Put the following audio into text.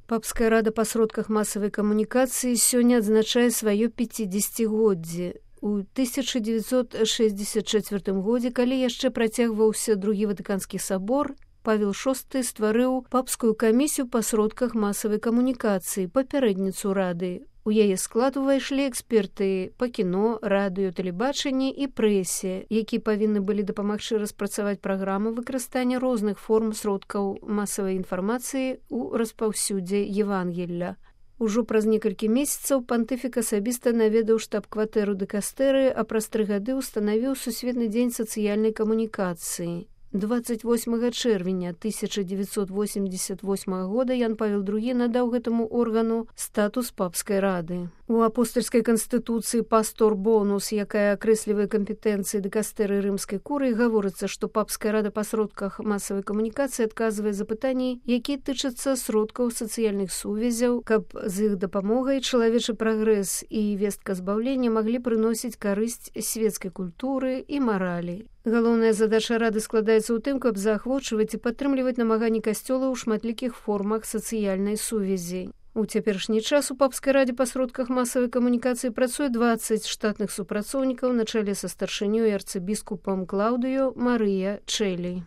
Папская рада па сродках масавай камунікацыі сёння адзначае сваё 50-годдзе. У 1964 годзе, калі яшчэ працягваўся другі Ватыканскі сабор, Павел VI стварыў папскую камісію па сродках масавай камунікацыі, папярэдніцу рады. У яе склад увайшлі эксперты па кіно, радыё, тэлебачанні і прэсе, якія павінны былі дапамагчы распрацаваць праграму выкарыстання розных форм сродкаў масавай інфармацыі ў распаўсюдзе Евангелля. Ужо праз некалькі месяцаў пантыфік асабіста наведаў штаб-кватэру дыкастэрыі, а праз 3 гады ўстанавіў Сусветны дзень сацыяльнай камунікацыі. 28 чэрвеня 1988 года Ян Павел II надаў гэтаму органу статус папскай рады. У апостальскай канстытуцыі «Пастор бонус», якая акрэслівае кампетэнцыі дыкастэрыі рымскай курыі, гаворыцца, што папская рада па сродках масавай камунікацыі адказвае за пытанні, якія тычацца сродкаў сацыяльных сувязяў, каб з іх дапамогай чалавечы прагрэс і вестка збаўлення маглі прыносіць карысць свецкай культуры і маралі. Галоўная задача рады складаецца ў тым, каб заахвочваць і падтрымліваць намаганні касцёла ў шматлікіх формах сацыяльнай сувязі. У цяперашні час у папскай радзе па сродках масавай камунікацыі працуе 20 штатных супрацоўнікаў на чале са старшынёй арцыбіскупам Клаўдыё Марыя Чэлі.